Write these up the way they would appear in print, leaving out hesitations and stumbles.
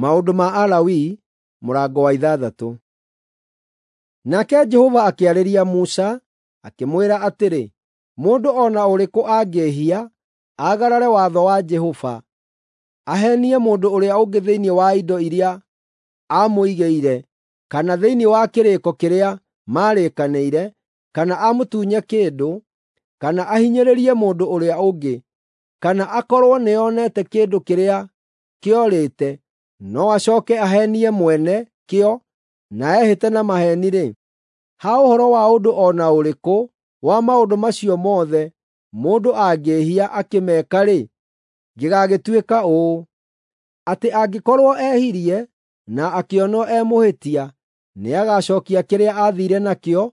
Maũndũ ma Alawii mũrango wa 6. Nake Jehova akĩarĩria Musa, akĩmwĩra atĩrĩ, mũndũ o na ũrĩkũ angĩĩhia, aagarare watho wa Jehova, aheenie mũndũ ũrĩa ũngĩ thĩinĩ wa indo iria aamũigĩire, kana thĩinĩ wa kĩrĩko kĩrĩa maarĩkanĩire, kana amũtunye kĩndũ, kana ahinyĩrĩrie mũndũ ũrĩa ũngĩ, kana akorwo nĩonete kĩndũ kĩrĩa kĩorĩte, no acooke aheenie mwene kĩo na ehĩte na maheeni-rĩ, ha ũhoro wa ũndũ o na ũrĩkũ wa maũndũ macio mothe mũndũ angĩĩhia akĩmeka-rĩ, gĩgaagĩtuĩka ũũ: atĩ angĩkorwo ehirie na akĩonwo e mũhĩtia, nĩagacookia kĩrĩa aathiire nakĩo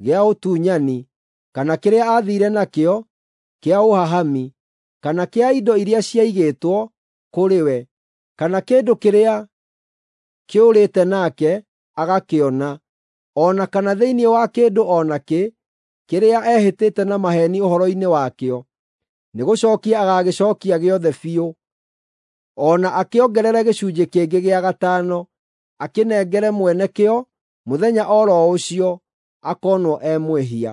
gĩa ũtunyani, kana kĩrĩa aathiire nakĩo kĩa ũhahami, kana kĩa indo iria ciaigĩtwo kũrĩ we, kana kĩndũ kĩrĩa kĩũrĩte nake agakĩona, o na kana thĩinĩ wa kĩndũ o nakĩ kĩrĩa ehĩtĩte na maheeni ũhoro-inĩ wakĩo, nĩgũcookia agagĩcookia gĩothe biũ, o na akĩongerere gĩcunjĩ kĩngĩ gĩa gatano, akĩnengere mwene kĩo mũthenya o ro ũcio akoonwo e mwĩhia.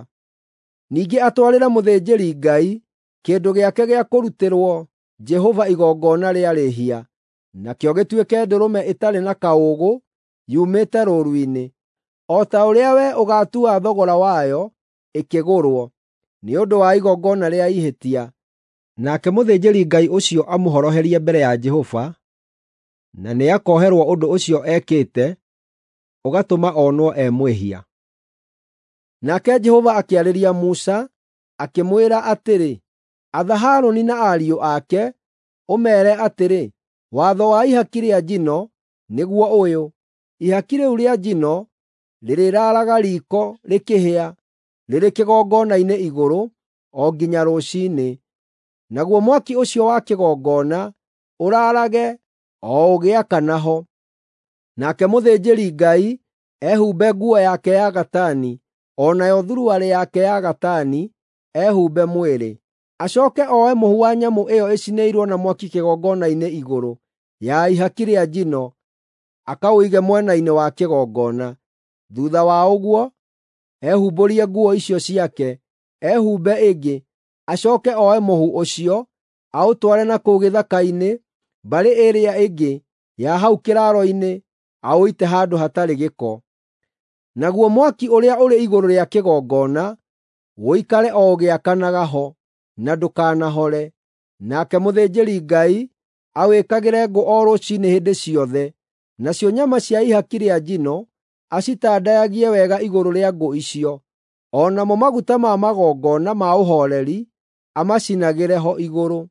Ningĩ atwarĩre mũthĩnjĩri-Ngai kĩndũ gĩake gĩa kũrutĩrwo Jehova igongona rĩa rĩĩhia, nakĩo gĩtuĩke ndũrũme ĩtarĩ na kaũũgũ yumĩte rũũru-inĩ, o ta ũrĩa wee ũgaatua thogora wayo ĩkĩgũrwo, nĩ ũndũ wa igongona rĩa ihĩtia. Nake mũthĩnjĩri-Ngai ũcio amũhoroherie mbere ya Jehova, na nĩakoherwo ũndũ ũcio ekĩte ũgatũma onwo e mwĩhia. Nake Jehova akĩarĩria Musa, akĩmwĩra atĩrĩ, atha Harũni na ariũ ake, ũmeere atĩrĩ, watho wa ihaki rĩa njino nĩguo ũyũ: ihaki rĩu rĩa njino rĩrĩraaraga riiko rĩkĩhĩa rĩrĩ kĩgongona-inĩ igũrũ o nginya rũciinĩ, naguo mwaki ũcio wa kĩgongona ũraarage o ũgĩakana ho. Nake mũthĩnjĩri-Ngai ehumbe nguo yake ya gatani, o nayo thuruarĩ yake ya gatani ehumbe mwĩrĩ. Acooke oe mũhu wa nyamũ ĩyo ĩcinĩirwo na mwaki kĩgongona-inĩ igũrũ ya ihaki rĩa njino, akaũige mwena-inĩ wa kĩgongona. Thuutha wa ũguo, ehumbũrie nguo icio ciake, ehumbe ĩngĩ, acooke oe mũhu ũcio, aũtware na kũu gĩthaka-inĩ mbarĩ ĩrĩa ĩngĩ ya hau kĩraaro-inĩ aũite handũ hatarĩ gĩko. Naguo mwaki ũrĩa ũrĩ igũrũ rĩa kĩgongona ũikare o ũgĩakanaga ho, na ndũkanahore. Nake mũthĩnjĩri-Ngai awĩkagĩre ngũ o rũciinĩ hĩndĩ ciothe, nacio nyama cia ihaki rĩa njino acitandayagie wega igũrũ rĩa ngũ icio, o namo maguta ma magongona ma ũhooreri amacinagĩre ho igũrũ.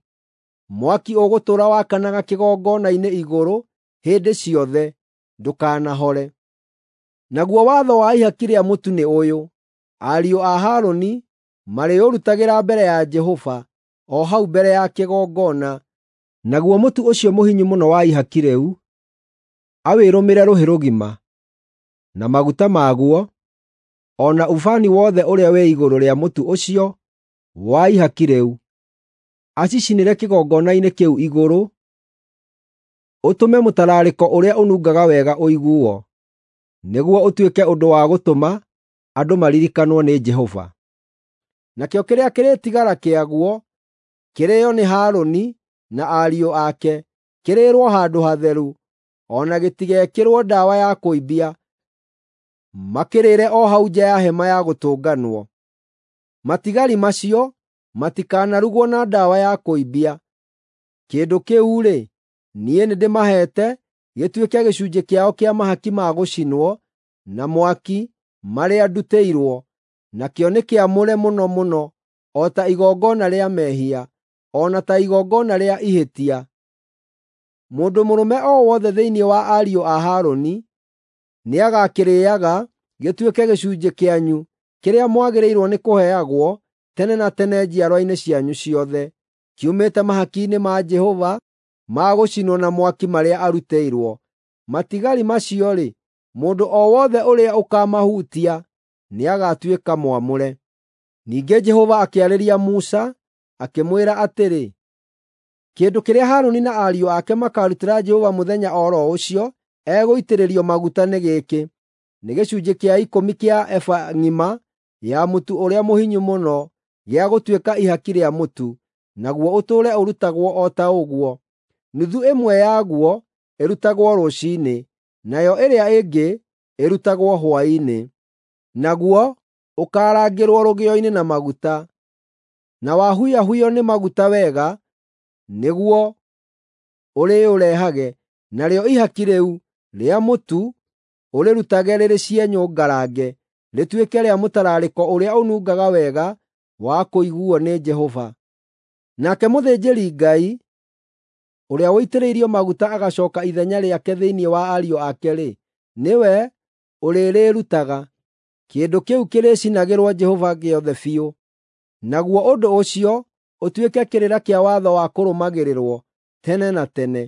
Mwaki ũgũtũũra wakanaga kĩgongona-inĩ igũrũ hĩndĩ ciothe, ndũkanahore. Naguo watho wa ihaki rĩa mũtu nĩ ũyũ: ariũ a Harũni marĩũrutagĩra mbere ya Jehova, o hau mbere ya kĩgongona. Naguo mũtu ũcio mũhinyu mũno wa ihaki rĩu awĩrũmĩre rũhĩ rũgima, na maguta maguo, o na ubani wothe ũrĩa wĩ igũrũ rĩa mũtu ũcio wa ihaki rĩu, acicinĩre kĩgongona-inĩ kĩu igũrũ, ũtũme mũtararĩko ũrĩa ũnungaga wega ũiguo, nĩguo ũtuĩke ũndũ wa gũtũma andũ maririkanwo nĩ Jehova. Nakĩo kĩrĩa kĩrĩtigara kĩaguo kĩrĩĩo nĩ Harũni na ariũ ake, kĩrĩĩrwo handũ hatheru, o na gĩtigekĩrwo ndawa ya kũimbia, makĩrĩĩre o hau nja ya hema ya gũtũnganwo. Matigari macio matikanarugwo na ndawa ya kũimbia. Kĩndũ kĩu-rĩ, niĩ nĩndĩmaheete gĩtuĩke gĩcunjĩ kĩao kĩa mahaki ma gũcinwo na mwaki marĩa ndutĩirwo, nakĩo nĩ kĩamũre mũno mũno, o ta igongona rĩa mehia, o na ta igongona rĩa ihĩtia. Mũndũ mũrũme o wothe thĩinĩ wa ariũ a Harũni nĩagakĩrĩĩaga gĩtuĩke gĩcunjĩ kĩanyu kĩrĩa mwagĩrĩirwo nĩ kũheagwo tene na tene njiarwa-inĩ cianyu ciothe, kiumĩte mahaki-inĩ ma Jehova ma gũcinwo na mwaki marĩa arutĩirwo. Matigari macio-rĩ, mũndũ o wothe ũrĩa ũkaamahutia nĩagatuĩka mwamũre. Ningĩ Jehova akĩarĩria Musa, akĩmwĩra atĩrĩ, Kĩndũ kĩrĩa Harũni na ariũ ake makaarutĩra Jehova mũthenya o ro ũcio egũitĩrĩrio maguta nĩ gĩkĩ: nĩ gĩcunjĩ kĩa ikũmi kĩa eba ng'ima ya mũtu ũrĩa mũhinyu mũno gĩa gũtuĩka ihaki rĩa mũtu, naguo ũtũũre ũrutagwo o ta ũguo. Nuthu ĩmwe yaguo ĩrutagwo rũciinĩ, nayo ĩrĩa ĩngĩ ĩrutagwo hwaĩ-inĩ. Naguo ũkarangĩrwo rũgĩo-inĩ na maguta, na wahuyahuywo nĩ maguta wega, nĩguo ũrĩũrehage, narĩo ihaki rĩu rĩa mũtu ũrĩrutage rĩrĩ cienyũ ngarange, rĩtuĩke rĩa mũtararĩko ũrĩa ũnungaga wega wa kũiguuo nĩ Jehova. Nake mũthĩnjĩri-Ngai ũrĩa ũitĩrĩirio maguta agacooka ithenya rĩake thĩinĩ wa ariũ ake-rĩ, nĩwe ũrĩrĩrutaga. Kĩndũ kĩu kĩrĩcinagĩrwo Jehova gĩothe biũ. Naguo ũndũ ũcio ũtuĩke kĩrĩra kĩa watho wa kũrũmagĩrĩrwo tene na tene.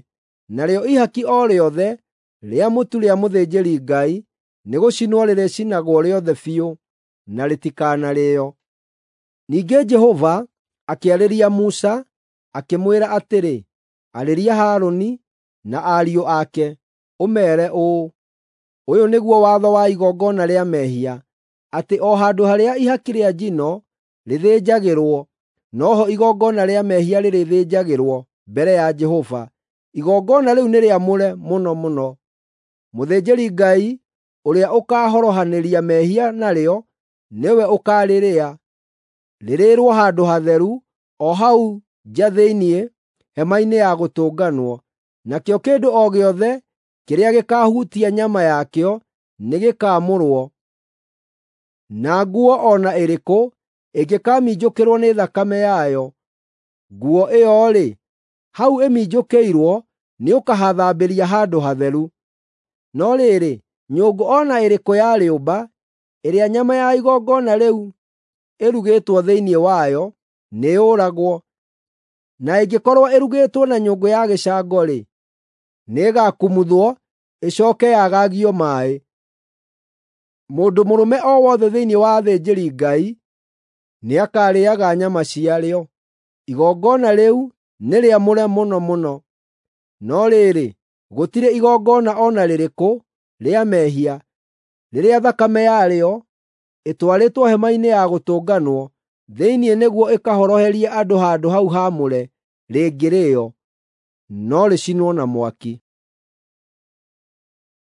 Narĩo ihaki o rĩothe rĩa mũtu rĩa mũthĩnjĩri-Ngai nĩgũcinwo rĩrĩcinagwo rĩothe biũ, na rĩtikanarĩĩo. Ningĩ Jehova akĩarĩria Musa, akĩmwĩra atĩrĩ, “Arĩria Harũni na ariũ ake, ũmeere ũũ: ‘Ũyũ nĩguo watho wa igongona rĩa mehia, atĩ o handũ harĩa ihaki rĩa njino rĩthĩnjagĩrwo, no ho igongona rĩa mehia rĩrĩthĩnjagĩrwo mbere ya Jehova. Igongona rĩu nĩ rĩamũre mũno mũno. Mũthĩnjĩri-Ngai ũrĩa ũkaahorohanĩria mehia narĩo nĩwe ũkaarĩrĩa. Rĩrĩĩrwo handũ hatheru, o hau nja thĩinĩ hema-inĩ ya gũtũnganwo. Nakĩo kĩndũ o gĩothe kĩrĩa gĩkaahutia nyama yakĩo nĩgĩkamũrwo, na nguo o na ĩrĩkũ ĩngĩkaminjũkĩrwo nĩ thakame yayo, nguo ĩyo-rĩ, hau ĩminjũkĩirwo nĩũkahathambĩria handũ hatheru. No rĩrĩ, nyũngũ o na ĩrĩkũ ya rĩũmba ĩrĩa nyama ya igongona rĩu ĩrugĩtwo thĩinĩ wayo nĩyũragwo, na ĩngĩkorwo ĩrugĩtwo na nyũngũ ya gĩcango-rĩ, nĩĩgakumuthwo ĩcooke yagagio maaĩ. Mũndũ mũrũme o wothe thĩinĩ wa athĩnjĩri-Ngai nĩakarĩĩaga nyama ciarĩo. Igongona rĩu nĩ rĩamũre mũno mũno. No rĩrĩ, gũtirĩ igongona o na rĩrĩkũ rĩa mehia, rĩrĩa thakame yarĩo ĩtwarĩtwo hema-inĩ ya gũtũnganwo thĩinĩ nĩguo ĩkahoroherie andũ handũ hau haamũre rĩngĩrĩĩo, no rĩcinwo na mwaki.